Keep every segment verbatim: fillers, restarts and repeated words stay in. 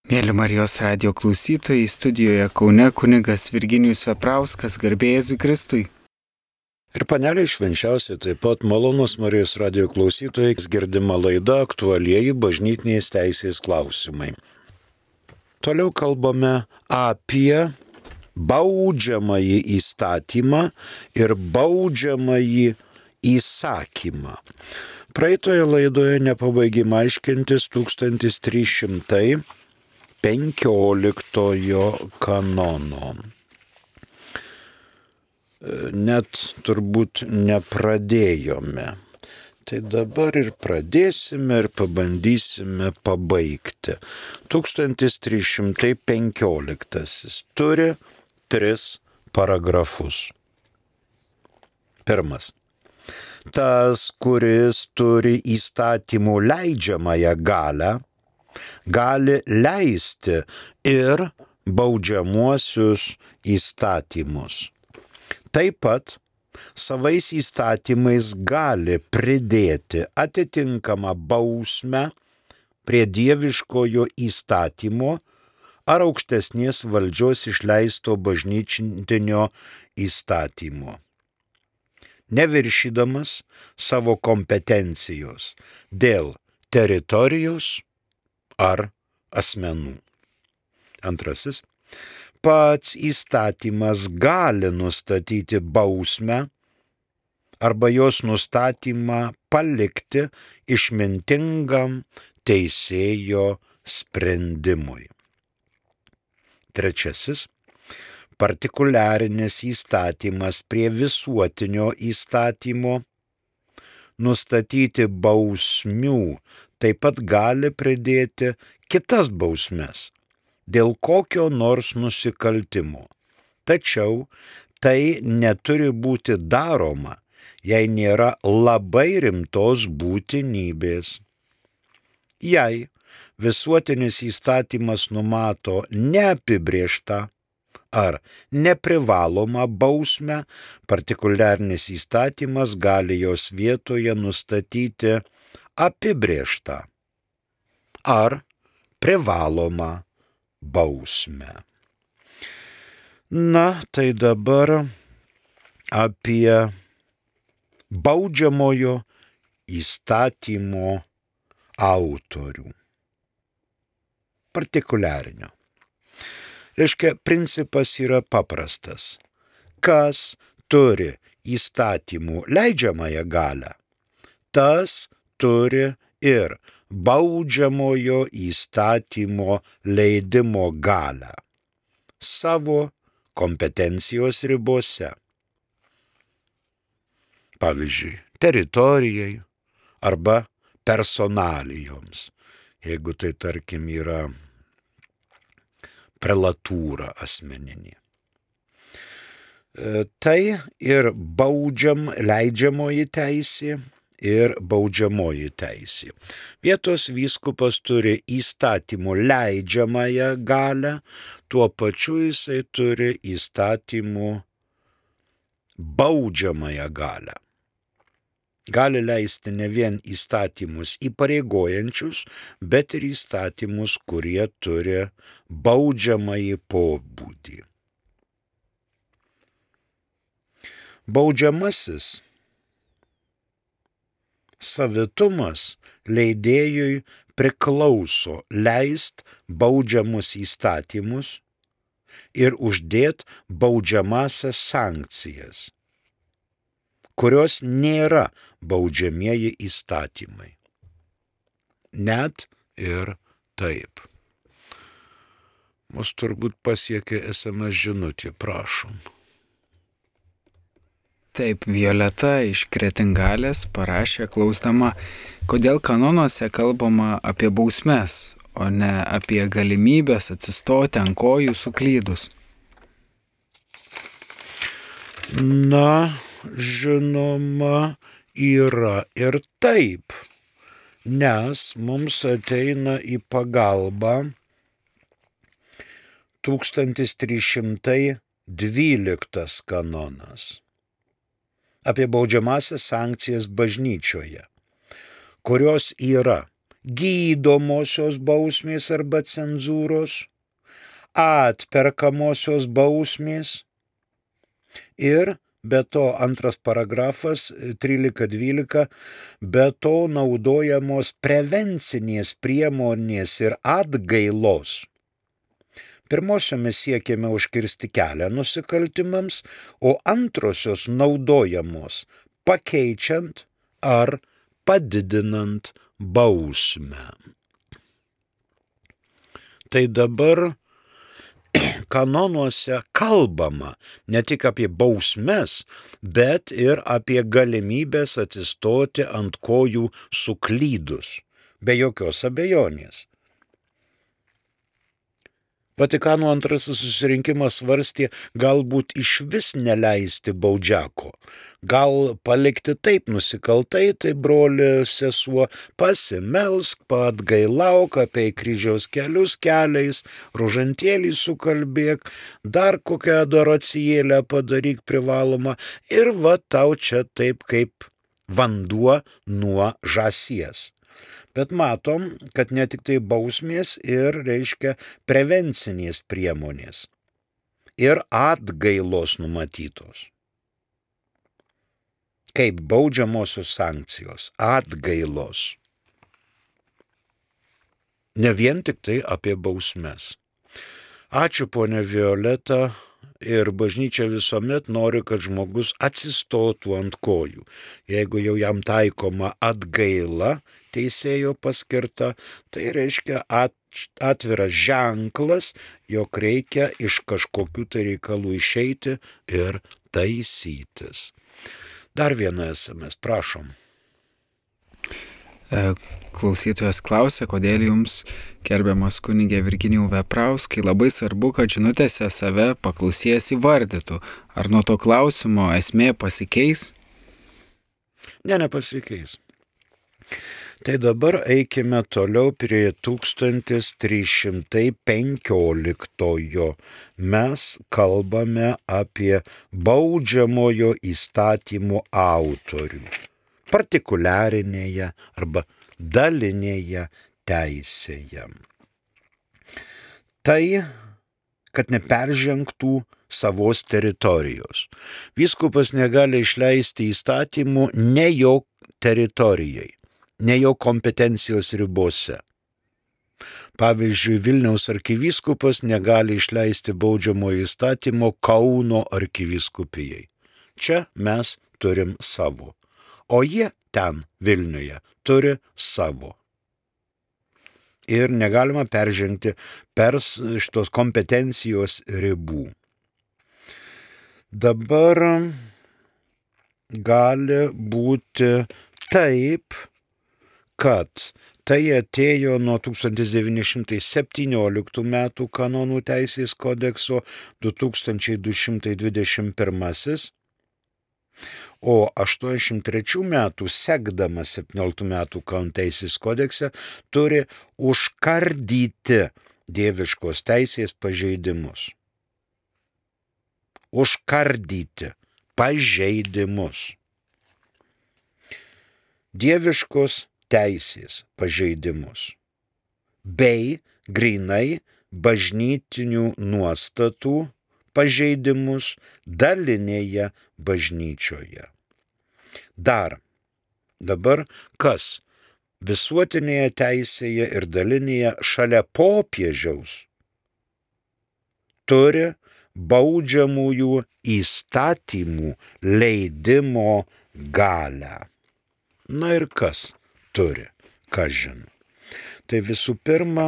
Mėly Marijos radijo klausytojai, studijoje Kaune kunigas Virginijus Veprauskas, garbė Jėzui Kristui. Ir paneliai švenčiausiai taip pat malonus Marijos radijo klausytojai, girdima laida aktualieji bažnytinės teisės klausimai. Toliau kalbame apie baudžiamąjį įstatymą ir baudžiamąjį įsakymą. Praeitoje laidoje nepabaigėme aiškintis tūkstantis trys šimtai penkioliktojo kanono. Net turbūt nepradėjome. Tai dabar ir pradėsime ir pabandysime pabaigti. tūkstantis trys šimtai penkioliktasis turi tris paragrafus. Pirmas. Tas, kuris turi įstatymų leidžiamąją galią, gali leisti ir baudžiamuosius įstatymus. Taip pat savais įstatymais gali pridėti atitinkamą bausmę prie dieviškojo įstatymo ar aukštesnės valdžios išleisto bažnytinio įstatymo, neviršydamas savo kompetencijos dėl teritorijos ar asmenų. Antrasis. Pats įstatymas gali nustatyti bausmę arba jos nustatymą palikti išmintingam teisėjo sprendimui. Trečiasis. Partikuliarinis įstatymas prie visuotinio įstatymo nustatyti bausmių taip pat gali pridėti kitas bausmes dėl kokio nors nusikaltimo. Tačiau tai neturi būti daroma, jei nėra labai rimtos būtinybės. Jei visuotinis įstatymas numato neapibrėžtą ar neprivalomą bausmę, partikuliarinis įstatymas gali jos vietoje nustatyti apibrėžtą ar privalomą bausmę. Na, tai dabar apie baudžiamojo įstatymo autorių. Partikuliarinio. Reiškia, principas yra paprastas. Kas turi įstatymų leidžiamąją galią, tas turi ir baudžiamojo įstatymo leidimo galią savo kompetencijos ribose. Pavyzdžiui, teritorijai arba personalijoms, jeigu tai tarkim yra prelatūra asmeninė. Tai ir baudžiam leidžiamoji teisė ir baudžiamoji teisė. Vietos vyskupas turi įstatymų leidžiamąją galią, tuo pačiu jisai turi įstatymų baudžiamąją galią. Gali leisti ne vien įstatymus įpareigojančius, bet ir įstatymus, kurie turi baudžiamąjį pobūdį. Baudžiamasis savitumas leidėjui priklauso leist baudžiamus įstatymus ir uždėt baudžiamąsias sankcijas, kurios nėra baudžiamieji įstatymai. Net ir taip. Mus turbūt pasiekė es em es žinutė, prašom. Taip, Violeta iš Kretingalės parašė klausdama, kodėl kanonuose kalbama apie bausmes, o ne apie galimybės atsistoti ant kojų suklydus. Na, žinoma, yra ir taip, nes mums ateina į pagalbą tūkstantis trys šimtai dvyliktas kanonas apie baudžiamąsias sankcijas bažnyčioje, kurios yra gydomosios bausmės arba cenzūros, atperkamosios bausmės ir be to antras paragrafas trylika dvylika, be to naudojamos prevencinės priemonės ir atgailos. Pirmosiomis siekiame užkirsti kelią nusikaltimams, o antrosios naudojamos pakeičiant ar padidinant bausmę. Tai dabar kanonuose kalbama ne tik apie bausmes, bet ir apie galimybės atsistoti ant kojų suklydus, be jokios abejonės. Vatikano antrasis susirinkimas svarstė galbūt išvis neleisti baudžiako, gal palikti taip nusikaltai, tai broli sesuo, pasimelsk, paatgailauk, apie kryžiaus kelius keliais, rožantėlį sukalbėk, dar kokią adoracijėlę padaryk privalomą ir va tau čia taip kaip vanduo nuo žąsies. Bet matom, kad ne tik tai bausmės ir, reiškia, prevencinės priemonės ir atgailos numatytos. Kaip baudžiamosios sankcijos, atgailos. Ne vien tik tai apie bausmes. Ačiū, ponia Violeta, ir bažnyčia visuomet nori, kad žmogus atsistotų ant kojų. Jeigu jau jam taikoma atgaila teisėjo paskirta, tai reiškia atviras ženklas, jog reikia iš kažkokių tai reikalų išeiti ir taisytis. Dar vieną es em es, prašom. Klausytojas klausia, kodėl jums, gerbiamas kunigė Virginijau Veprauskai, labai svarbu, kad žinutėse save paklausėjas įvardytų. Ar nuo to klausimo esmė pasikeis? Ne, nepasikeis. Tai dabar eikime toliau prie tūkstantis trys šimtai penkioliktojo. Mes kalbame apie baudžiamojo įstatymo autorių. Partikuliarinėje arba dalinėje teisėje. Tai, kad neperžengtų savos teritorijos. Vyskupas negali išleisti įstatymų ne jo teritorijai, ne jo kompetencijos ribose. Pavyzdžiui, Vilniaus arkivyskupas negali išleisti baudžiamojo įstatymo Kauno arkivyskupijai. Čia mes turim savo. O jie ten Vilniuje turi savo. Ir negalima peržengti per šitos kompetencijos ribų. Dabar gali būti taip, kad tai atėjo nuo tūkstantis devyni šimtai septynioliktų metų kanonų teisės kodekso du tūkstančiai du šimtai dvidešimt pirmasis, o aštuoniasdešimt trečių metų sekdamas septynioliktų metų kanonų teisės kodekse turi užkardyti dieviškos teisės pažeidimus. Užkardyti pažeidimus. Dieviškos teisės pažeidimus bei grynai bažnytinių nuostatų pažeidimus dalinėje bažnyčioje. Dar dabar kas visuotinėje teisėje ir dalinėje šalia popiežiaus turi baudžiamųjų įstatymų leidimo galią. Na ir kas turi, ką žino. Tai visų pirma,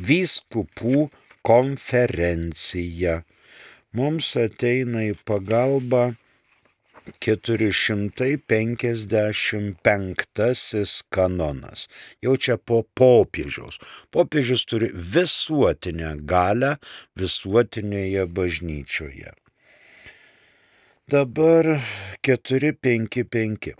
vyskupų konferencija. Mums ateina į pagalbą keturi šimtai penkiasdešimt penktasis kanonas. Jau čia po popiežiaus. Popiežius turi visuotinę galią visuotinėje bažnyčioje. Dabar keturi penki penki.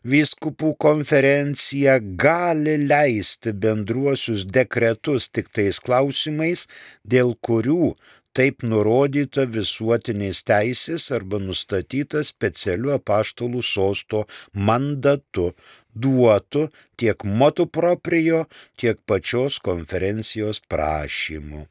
Vyskupų konferencija gali leisti bendruosius dekretus tik tais klausimais, dėl kurių taip nurodyta visuotinės teisės arba nustatyta specialiu apaštalų sosto mandatu duotų tiek motu proprio, tiek pačios konferencijos prašymu.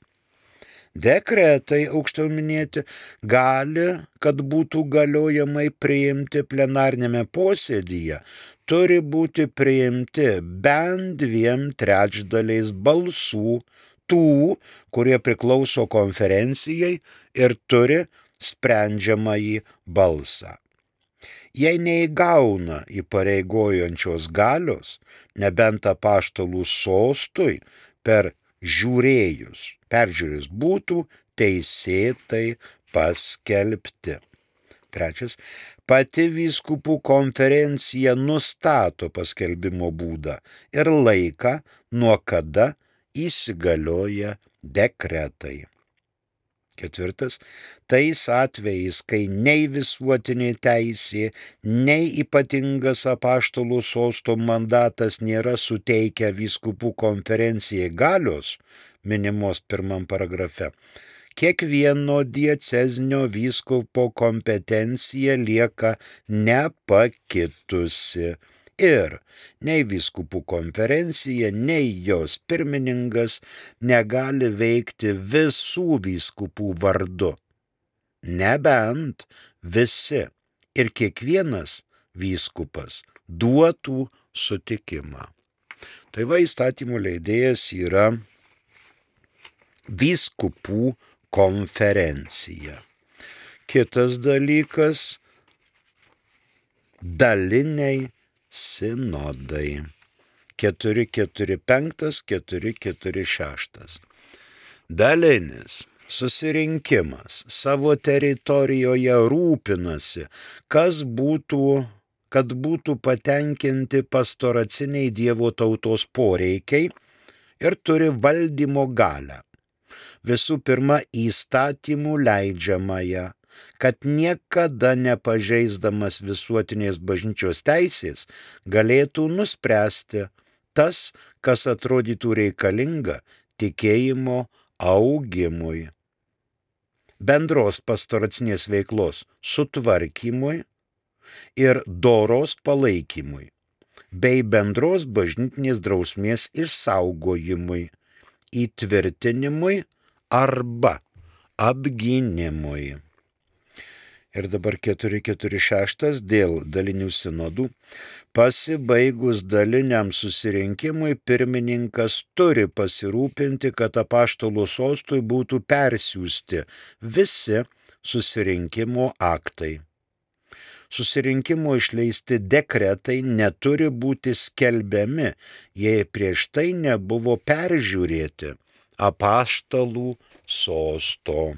Dekretai, aukščiau minėti, gali, kad būtų galiojamai priimti plenarnėme posėdyje, turi būti priimti bent dviem trečdaliais balsų tų, kurie priklauso konferencijai ir turi sprendžiamąjį balsą. Jei neįgauna įpareigojančios galios, nebent apaštalų sostui per žiūrėjus, peržiūrėjus būtų teisėtai paskelbti. Trečias, pati vyskupų konferencija nustato paskelbimo būdą ir laiką, nuo kada įsigalioja dekretai. Ketvirtas, tais atvejais, kai nei visuotinė teisė, nei ypatingas apaštalų sosto mandatas nėra suteikę vyskupų konferencijai galios, minimos pirmam paragrafe, kiekvieno diecezinio vyskupo kompetencija lieka nepakitusi ir nei vyskupų konferencija, nei jos pirmininkas negali veikti visų vyskupų vardu, nebent visi ir kiekvienas vyskupas duotų sutikimą. Tai va, įstatymų leidėjas yra vyskupų konferencija. Kitas dalykas – daliniai sinodai. keturi keturi penki, keturi keturi šeši. Dalinis susirinkimas savo teritorijoje rūpinasi, kas būtų, kad būtų patenkinti pastoraciniai Dievo tautos poreikiai ir turi valdymo galią. Visų pirma, įstatymų leidžiamąją, kad niekada nepažeisdamas visuotinės bažnyčios teisės galėtų nuspręsti tas, kas atrodytų reikalinga tikėjimo augimui, bendros pastoracinės veiklos sutvarkymui ir doros palaikymui, bei bendros bažnytinės drausmės išsaugojimui, įtvirtinimui arba apgynimui. Ir dabar keturi keturi šeši dėl dalinių sinodų. Pasibaigus daliniam susirinkimui pirmininkas turi pasirūpinti, kad apaštalų sostui būtų persiųsti visi susirinkimo aktai. Susirinkimo išleisti dekretai neturi būti skelbiami, jei prieš tai nebuvo peržiūrėti apaštalų sosto.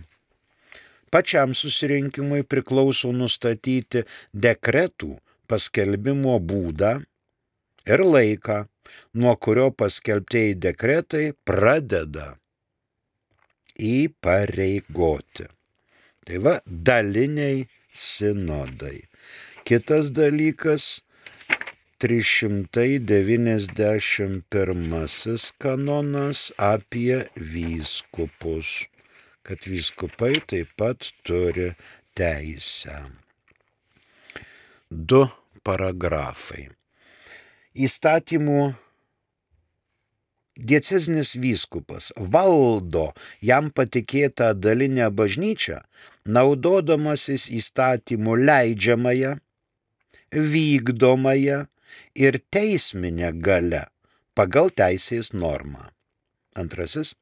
Pačiam susirinkimui priklauso nustatyti dekretų paskelbimo būdą ir laiką, nuo kurio paskelbtieji dekretai pradeda įpareigoti. Tai va, daliniai sinodai. Kitas dalykas, trys šimtai devyniasdešimt pirmasis kanonas apie vyskupus, kad vyskupai taip pat turi teisę. Du paragrafai. Įstatymų diecezinis vyskupas valdo jam patikėtą dalinę bažnyčią, naudodamasis įstatymų leidžiamąją, vykdomąją ir teisminę galią pagal teisės normą. Antrasis.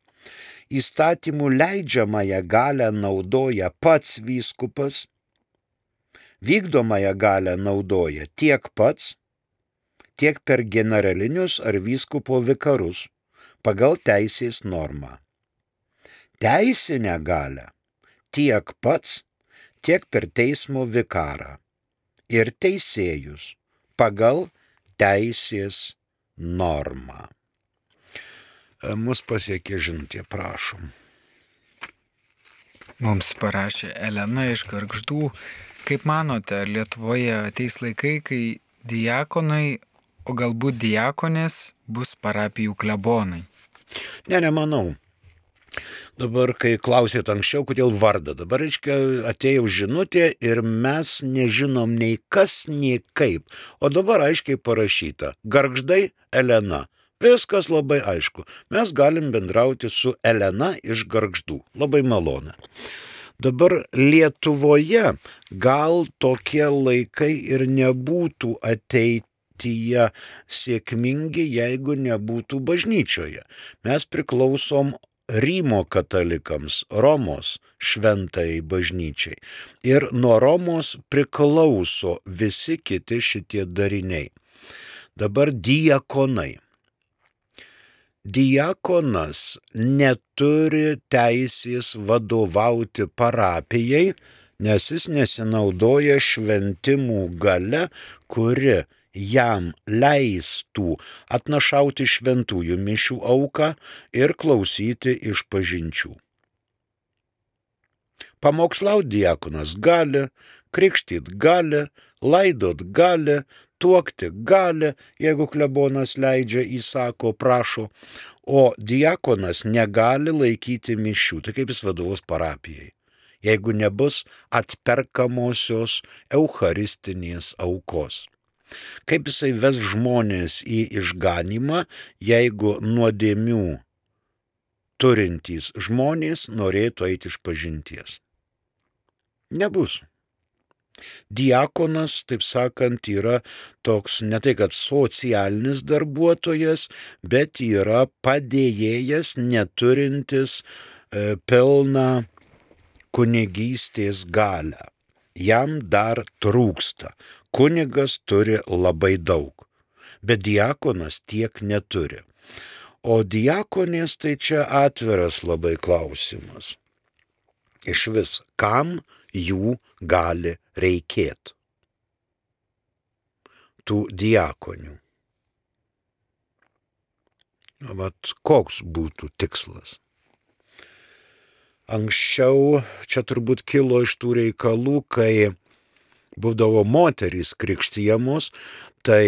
Įstatymų leidžiamąją galią naudoja pats vyskupas, vykdomąją galią naudoja tiek pats, tiek per generalinius ar vyskupo vikarus pagal teisės normą. Teisinę galią tiek pats, tiek per teismo vikarą ir teisėjus pagal teisės normą. Mus pasiekė žinutė, prašom. Mums parašė Elena iš Gargždų. Kaip manote, ar Lietuvoje ateis laikai, kai diakonai, o galbūt diakonės bus parapijų klebonai? Ne, nemanau. Dabar, kai klausėt anksčiau, kodėl vardą, dabar, reiškia, atėjo žinutė ir mes nežinom nei kas, nei kaip. O dabar aiškiai parašyta. Gargždai Elena. Viskas labai aišku. Mes galim bendrauti su Elena iš Gargždų. Labai malonu. Dabar Lietuvoje gal tokie laikai ir nebūtų ateityje sėkmingi, jeigu nebūtų bažnyčioje. Mes priklausom Rymo katalikams, Romos šventai bažnyčiai. Ir nuo Romos priklauso visi kiti šitie dariniai. Dabar diakonai. Diakonas neturi teisės vadovauti parapijai, nes jis nesinaudoja šventimų gale, kuri jam leistų atnašauti šventųjų mišių auką ir klausyti išpažinčių. Pamokslaut diakonas gali, krikštyt gali, laidot gali, tuokti gali, jeigu klebonas leidžia, įsako, prašo, o diakonas negali laikyti mišių. Tai kaip jis vadovaus parapijai, jeigu nebus atperkamosios eucharistinės aukos? Kaip jisai ves žmonės į išganymą, jeigu nuodėmių turintys žmonės norėtų eiti išpažinties? Nebus. Diakonas, taip sakant, yra toks ne tai kad socialinis darbuotojas, bet yra padėjėjas neturintis e, pilną kunigystės galią. Jam dar trūksta. Kunigas turi labai daug, bet diakonas tiek neturi. O diakonės tai čia atviras labai klausimas. Iš vis, kam jų gali reikėti? Tų diakonių. Vat koks būtų tikslas? Anksčiau čia turbūt kilo iš tų reikalų, kai būdavo moterys krikštijamos, tai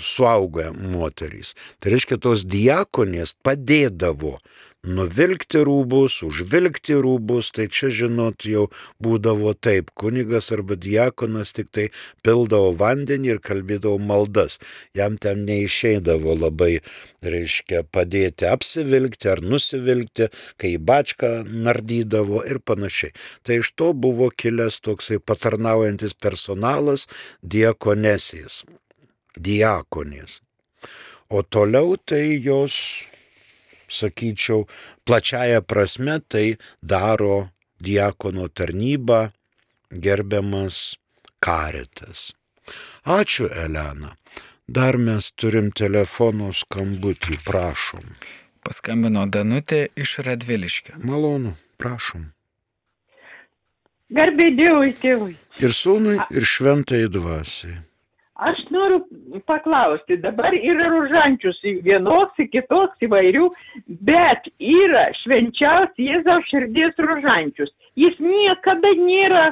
suaugę moterys. Tai reiškia, tos diakonės padėdavo nuvilkti rūbus, užvilkti rūbus, tai čia, žinot, jau būdavo taip, kunigas arba diakonas tik tai pildavo vandenį ir kalbėdavo maldas. Jam ten neišeidavo labai, reiškia, padėti apsivilkti ar nusivilkti, kai bačką nardydavo ir panašiai. Tai iš to buvo kilęs toksai patarnaujantis personalas diakonesės, diakonės. O toliau tai jos, sakyčiau, plačiaja prasme tai daro diakono tarnybą gerbiamas Karitas. Ačiū, Elena. Dar mes turim telefono skambutį, prašom. Paskambino Danutė iš Radviliškio. Malonu, prašom. Garbė Dievui, tėvui. Ir sūnui, ir šventai dvasiai. Aš noriu paklausti, dabar yra rožančius vienoks, kitoks įvairių, bet yra švenčiaus Jėzaus širdies rožančius. Jis niekada nėra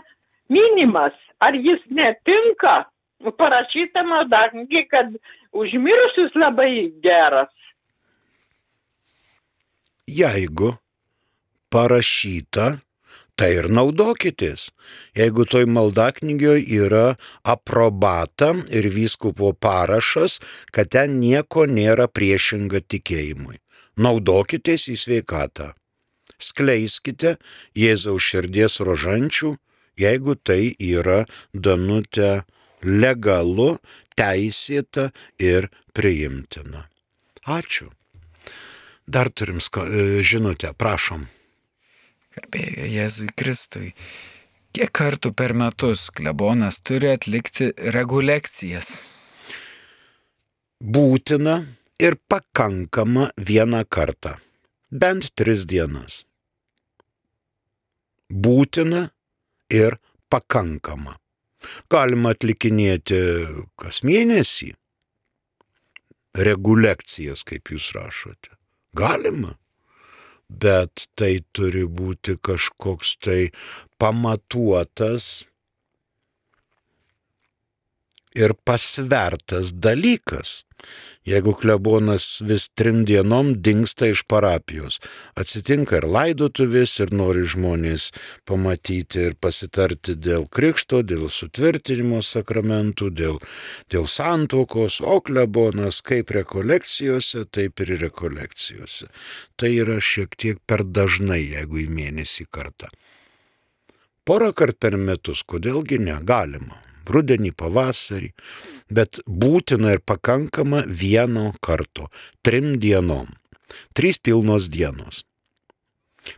minimas. Ar jis netinka? Parašyta maldaknygė, kad užmirusius labai geras. Jeigu parašyta, tai ir naudokitės. Jeigu toj maldaknygėje yra aprobata ir vyskupo parašas, kad ten nieko nėra priešinga tikėjimui. Naudokitės į sveikatą. Skleiskite Jėzaus širdies rožančių, jeigu tai yra, Danute, legalu, teisėta ir priimtina. Ačiū. Dar turim sko- žinutę, prašom. Garbė Jėzui Kristui. Kiek kartų per metus klebonas turi atlikti rekolekcijas? Būtina ir pakankama vieną kartą. Bent tris dienas. Būtina ir pakankama. Galima atlikinėti kas mėnesį. Rekolekcijas, kaip jūs rašote. Galima. Bet tai turi būti kažkoks tai pamatuotas ir pasvertas dalykas. Jeigu klebonas vis trim dienom dingsta iš parapijos, atsitinka ir laidotuvės, ir nori žmonės pamatyti ir pasitarti dėl krikšto, dėl sutvirtinimo sakramentų, dėl, dėl santuokos, o klebonas kaip rekolekcijose, taip ir rekolekcijose. Tai yra šiek tiek per dažnai, jeigu į mėnesį kartą. Porą kart per metus, kodėlgi negalima. Rudenį, pavasarį, bet būtina ir pakankama vieno karto, trim dienom, trys pilnos dienos.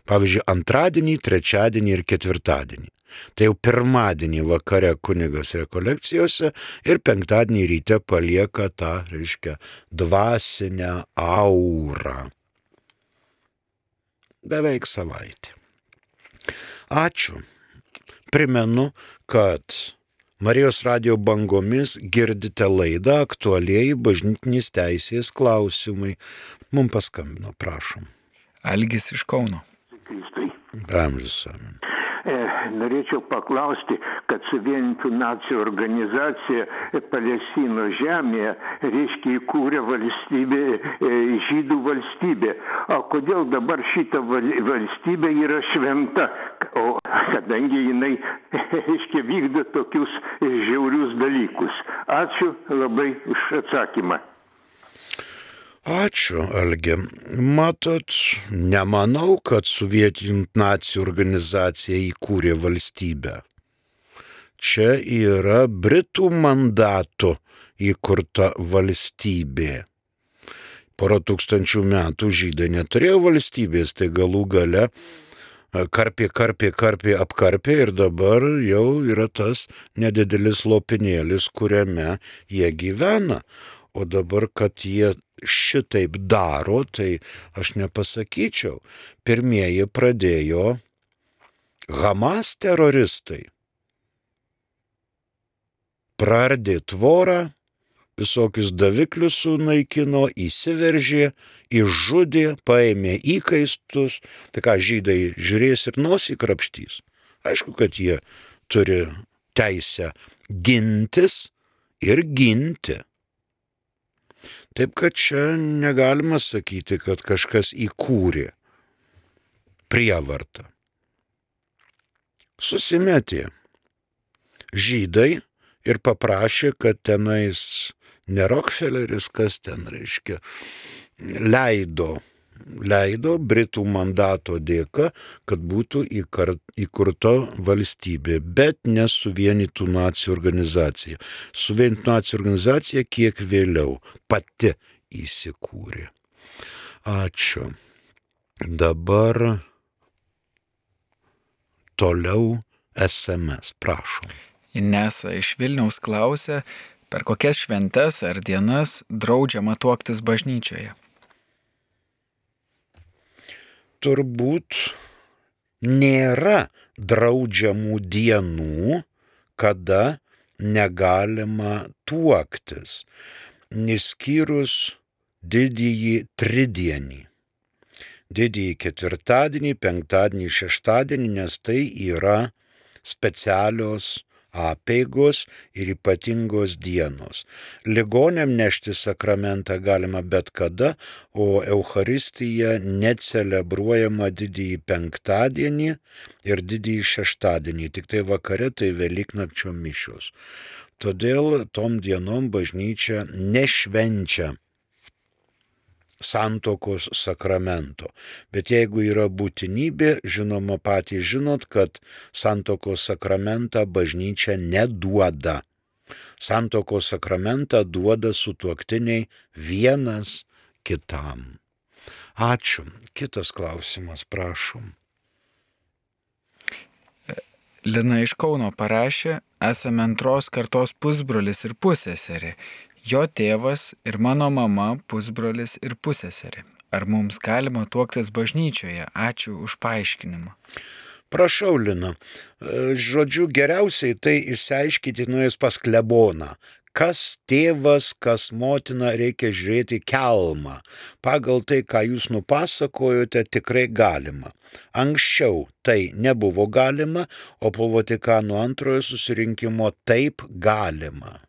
Pavyzdžiui, antradienį, trečiadienį ir ketvirtadienį. Tai jau pirmadienį vakare kunigas rekolekcijose ir penktadienį ryte palieka tą, reiškia, dvasinę aurą. Beveik savaitę. Ačiū. Primenu, kad Marijos radijo bangomis girdite laidą Aktualieji bažnytinės teisės klausimai. Mums paskambino, prašom. Algis iš Kauno. Amžius amen. Norėčiau paklausti, kad suvienytų nacijų organizacija Palestinos žemėje, reiškia, įkūrė valstybė, žydų valstybė. O kodėl dabar šita valstybė yra šventa? O kadangi jinai, reiškia, vykdo tokius žiaurius dalykus. Ačiū labai už atsakymą. Ačiū, Algi. Matot, nemanau, kad sovietinių nacijų organizacija įkūrė valstybę. Čia yra Britų mandato įkurta valstybė. Porą tūkstančių metų žydai neturėjo valstybės, tai galų gale karpė, karpė, karpė, apkarpė ir dabar jau yra tas nedidelis lopinėlis, kuriame jie gyvena. O dabar, kad jie šitaip daro, tai aš nepasakyčiau. Pirmieji pradėjo Hamas teroristai. Praardė tvorą, visokius daviklius sunaikino, įsiveržė, išžudė, paėmė įkaistus. Tai ką, žydai žiūrės ir nosį krapštys? Aišku, kad jie turi teisę gintis ir ginti. Taip, kad čia negalima sakyti, kad kažkas įkūrė prievartą. Susimetė žydai ir paprašė, kad tenais ne Rockefelleris, kas ten reiškia, leido, leido Britų mandato dėka, kad būtų įkurta valstybė, bet ne suvienytų nacijų organizacija. Suvienytų nacijų organizacija kiek vėliau pati įsikūrė. Ačiū. Dabar toliau S M S, prašom. Inesa iš Vilniaus klausia, per kokias šventes ar dienas draudžiama tuoktis bažnyčioje? Turbūt nėra draudžiamų dienų, kada negalima tuoktis, išskyrus didįjį tridienį. Didįjį ketvirtadienį, penktadienį, šeštadienį, nes tai yra specialios apeigos ir ypatingos dienos. Ligoniam nešti sakramentą galima bet kada, o Eucharistija necelebruojama didįjį penktadienį ir didįjį šeštadienį, tik tai vakare tai Velyknakčio mišios. Todėl tom dienom bažnyčia nešvenčia santuokos sakramento. Bet jeigu yra būtinybė, žinoma, patys žinot, kad santuokos sakramentą bažnyčia neduoda. Santuokos sakramentą duoda sutuoktiniai vienas kitam. Ačiū. Kitas klausimas, prašom. Lina iš Kauno parašė, esame antros kartos pusbrolis ir pusseserė. Jo tėvas ir mano mama pusbrolis ir pusseserė. Ar mums galima tuoktis bažnyčioje? Ačiū už paaiškinimą. Prašau, Lina. Žodžiu, geriausiai tai išsiaiškyti nuėjus pas kleboną. Kas tėvas, kas motina, reikia žiūrėti kelmą. Pagal tai, ką jūs nupasakojote, tikrai galima. Anksčiau tai nebuvo galima, o po Vatikano antrojo susirinkimo taip galima.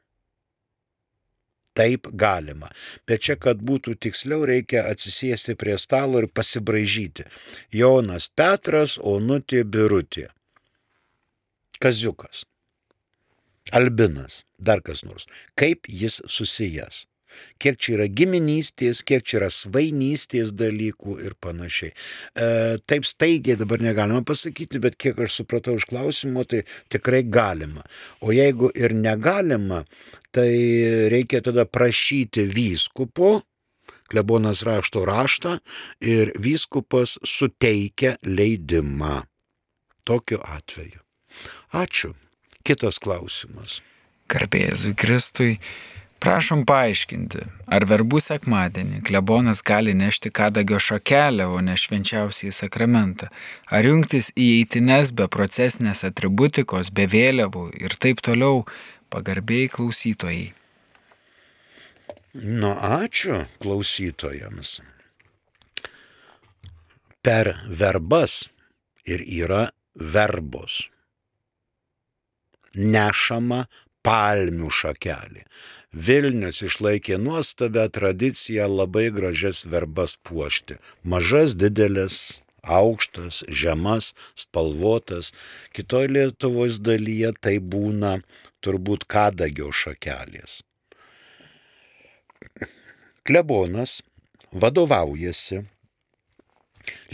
Taip galima. Bet čia, kad būtų tiksliau, reikia atsisėsti prie stalo ir pasibraižyti. Jonas Petras, Onutė Birutė. Kaziukas. Albinas. Dar kas nors. Kaip jis susijęs. Kiek čia yra giminystės, kiek čia yra svainystės dalykų ir panašiai. E, taip staigiai dabar negalima pasakyti, bet kiek aš supratau iš klausimo, tai tikrai galima. O jeigu ir negalima, tai reikia tada prašyti vyskupo, klebonas rašto raštą ir vyskupas suteikia leidimą. Tokiu atveju. Ačiū. Kitas klausimas. Garbė Jėzui Kristui. Prašom paaiškinti, ar verbų sekmadienį klebonas gali nešti kadagio šakelę, o ne švenčiausiąjį sakramentą, ar jungtis į eitines be procesinės atributikos, be vėliavų ir taip toliau, pagarbiai klausytojai. Nu, ačiū klausytojams. Per verbas ir yra verbos. Nešama palmių šakelė. Vilnius išlaikė nuostabią tradiciją labai gražias verbas puošti. Mažas, didelis, aukštas, žemas, spalvotas. Kitoj Lietuvos dalyje tai būna turbūt kadagio šakelės. Klebonas vadovaujasi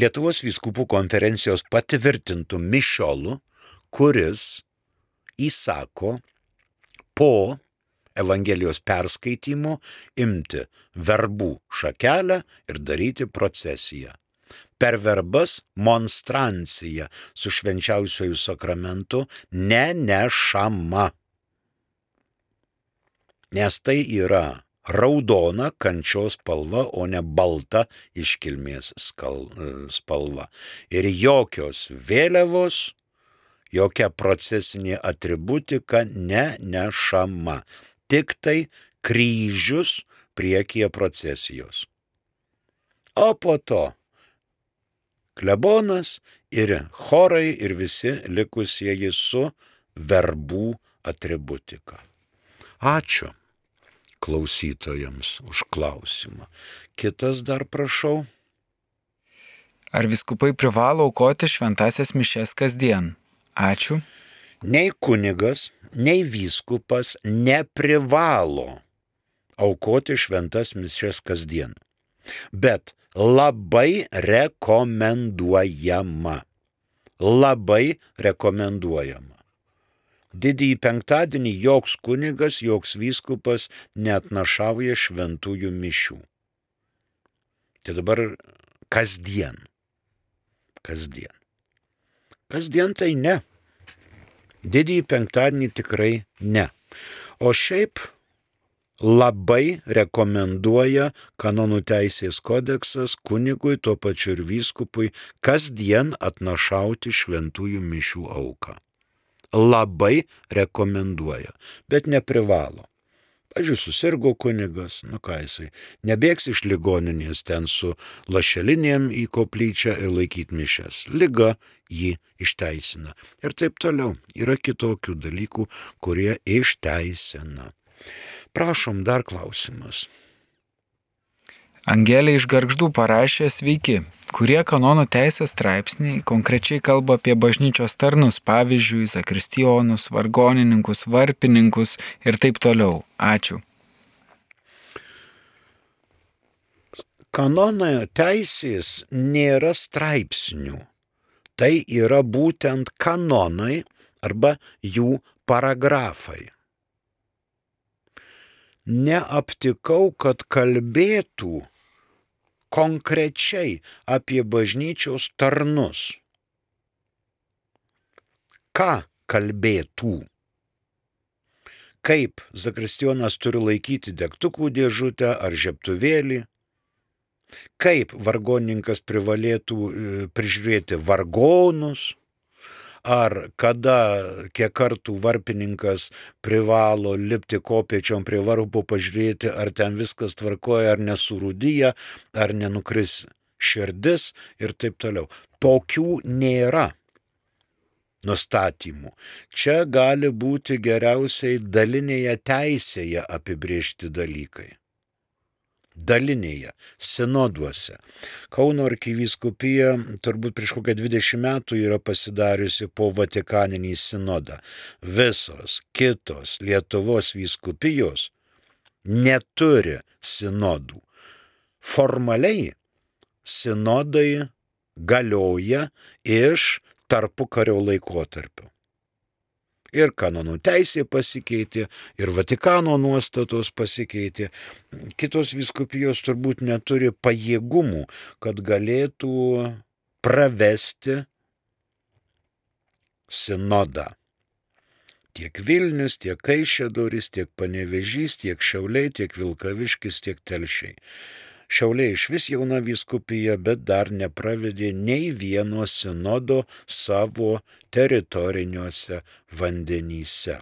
Lietuvos vyskupų konferencijos patvirtintų mišiolų, kuris įsako po Evangelijos perskaitymo imti verbų šakelę ir daryti procesiją. Per verbas monstrancija su švenčiausiuoju sakramentu nenešama. Nes tai yra raudona kančios spalva, o ne balta iškilmės spalva. Ir jokios vėliavos, jokia procesinė atributika nenešama. Tik tai kryžius priekyje procesijos. O po to klebonas ir chorai ir visi likusieji su verbų atributika. Ačiū klausytojams už klausimą. Kitas dar prašau. Ar vyskupai privalo aukoti šventąsias mišias kasdien? Ačiū. Nei kunigas, nei vyskupas neprivalo aukoti šventas mišias kasdien. Bet labai rekomenduojama. Labai rekomenduojama. Didįjį penktadienį joks kunigas, joks vyskupas neatnašauja šventųjų mišių. Tai dabar kasdien. Kasdien. Kasdien tai ne. Didįjį penktadienį tikrai ne. O šiaip labai rekomenduoja kanonų teisės kodeksas kunigui, tuo pačiu ir vyskupui, kasdien atnašauti šventųjų mišių auką. Labai rekomenduoja, bet neprivalo. Pavyzdžiui, susirgo kunigas, nu ką jisai, nebėgs iš ligoninės ten su lašelinėm į koplyčią ir laikyti mišias. Liga jį išteisina. Ir taip toliau. Yra kitokių dalykų, kurie išteisina. Prašom, dar klausimas. Angelė iš Gargždų parašė: sveiki, kurie kanonų teisės straipsniai konkrečiai kalba apie bažnyčios tarnus, pavyzdžiui, zakristijonus, vargonininkus, varpininkus ir taip toliau. Ačiū. Kanonų teisės nėra straipsnių. Tai yra būtent kanonai arba jų paragrafai. Neaptikau, kad kalbėtų konkrečiai apie bažnyčios tarnus. Ką kalbėtų? Kaip zakristijonas turi laikyti degtukų dėžutę ar žiebtuvėlį? Kaip vargonininkas privalėtų prižiūrėti vargonus? Ar kada, kiek kartų varpininkas privalo lipti kopėčiom prie varpo pažiūrėti, ar ten viskas tvarkoja, ar nesurūdyja, ar nenukris širdis ir taip toliau. Tokių nėra. nustatymų. Čia gali būti geriausiai dalinėje teisėje apibriežti dalykai. Dalinėje, sinoduose. Kauno arkivyskupija turbūt prieš kokią dvidešimt metų yra pasidariusi po Vatikaninį sinodą. Visos kitos Lietuvos vyskupijos neturi sinodų. Formaliai sinodai galioja iš tarpukario laikotarpio. Ir kanonų teisė pasikeitė, ir Vatikano nuostatos pasikeitė. Kitos vyskupijos turbūt neturi pajėgumų, kad galėtų pravesti sinodą. Tiek Vilnius, tiek Kaišiadorys, tiek Panevėžys, tiek Šiauliai, tiek Vilkaviškis, tiek Telšiai. Šiauliai iš vis jauna vyskupija, bet dar nepravedė nei vieno sinodo savo teritoriniuose vandenyse.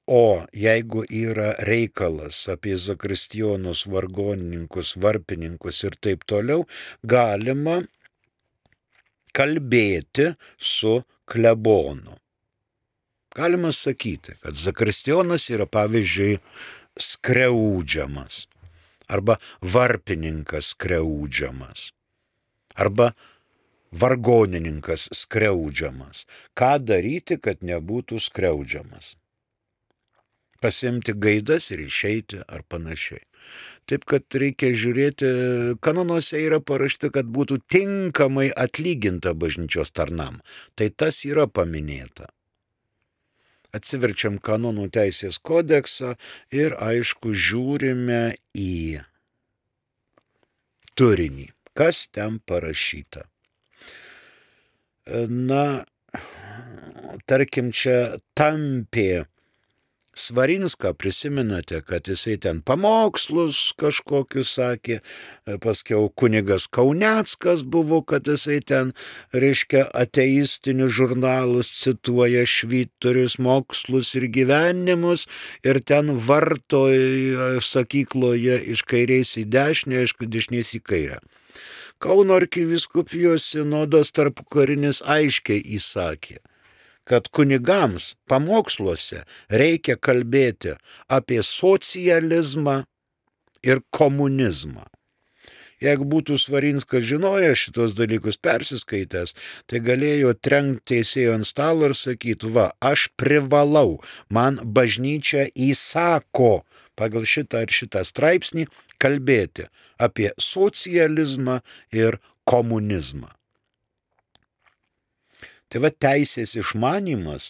O jeigu yra reikalas apie zakristijonus, vargonininkus, varpininkus ir taip toliau, galima kalbėti su klebonu. Galima sakyti, kad zakristijonas yra pavyzdžiui skriaudžiamas. Arba varpininkas skriaudžiamas, arba vargonininkas skriaudžiamas. Ką daryti, kad nebūtų skriaudžiamas? Pasimti gaidas ir išeiti ar panašiai. Taip, kad reikia žiūrėti, kanonuose yra parašyta, kad būtų tinkamai atlyginta bažnyčios tarnam. Tai tas yra paminėta. Atsiverčiam kanonų teisės kodeksą ir aišku žiūrime į turinį, kas ten parašyta. Na, tarkim, čia Tampė Svarinską prisimenate, kad jisai ten pamokslus kažkokius sakė, paskiau kunigas Kauneckas buvo, kad jisai ten, reiškia, ateistinius žurnalus cituoja, švyturius, mokslus ir gyvenimus, ir ten varto sakykloje iš kairės į dešinę, iš dešinės į kairę. Kauno arkivyskupijos sinodas tarpukarinis aiškiai įsakė, kad kunigams pamoksluose reikia kalbėti apie socializmą ir komunizmą. Jeigu būtų Svarinskas žinojęs šitos dalykus persiskaitęs, tai galėjo trenkti teisėjo ant stalo ir sakyti, va, aš privalau, man bažnyčia įsako pagal šitą ir šitą straipsnį kalbėti apie socializmą ir komunizmą. Tai va teisės išmanymas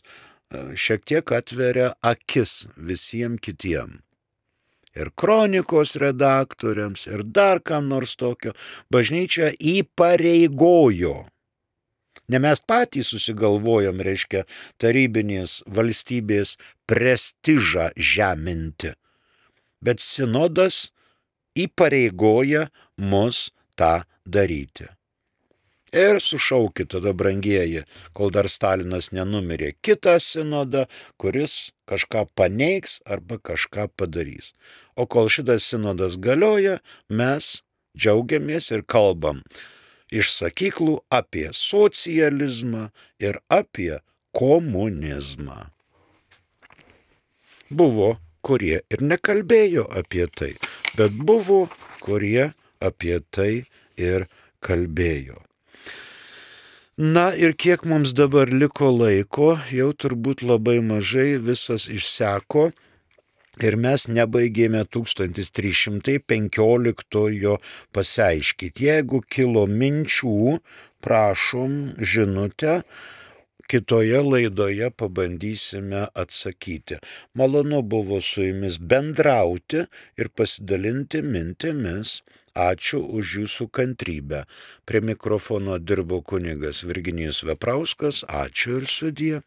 šiek tiek atveria akis visiems kitiem. Ir kronikos redaktoriams, ir dar kam nors tokio. Bažnyčia įpareigojo. Ne mes patys susigalvojom, reiškia, tarybinės valstybės prestižą žeminti. Bet sinodas įpareigoja mus tą daryti. Ir sušaukit tada, brangieji, kol dar Stalinas nenumirė, kitą sinodą, kuris kažką paneigs arba kažką padarys. O kol šitas sinodas galioja, mes džiaugiamės ir kalbam iš sakyklų apie socializmą ir apie komunizmą. Buvo, kurie ir nekalbėjo apie tai, bet buvo, kurie apie tai ir kalbėjo. Na ir kiek mums dabar liko laiko, jau turbūt labai mažai, visas išseko ir mes nebaigėme tūkstantis trys šimtai penkioliktojo pasiaiškyti. Jeigu kilo minčių, prašom žinutę, kitoje laidoje pabandysime atsakyti. Malonu buvo su jumis bendrauti ir pasidalinti mintimis. Ačiū už jūsų kantrybę. Prie mikrofono dirbo kunigas Virginijus Veprauskas. Ačiū ir sudie.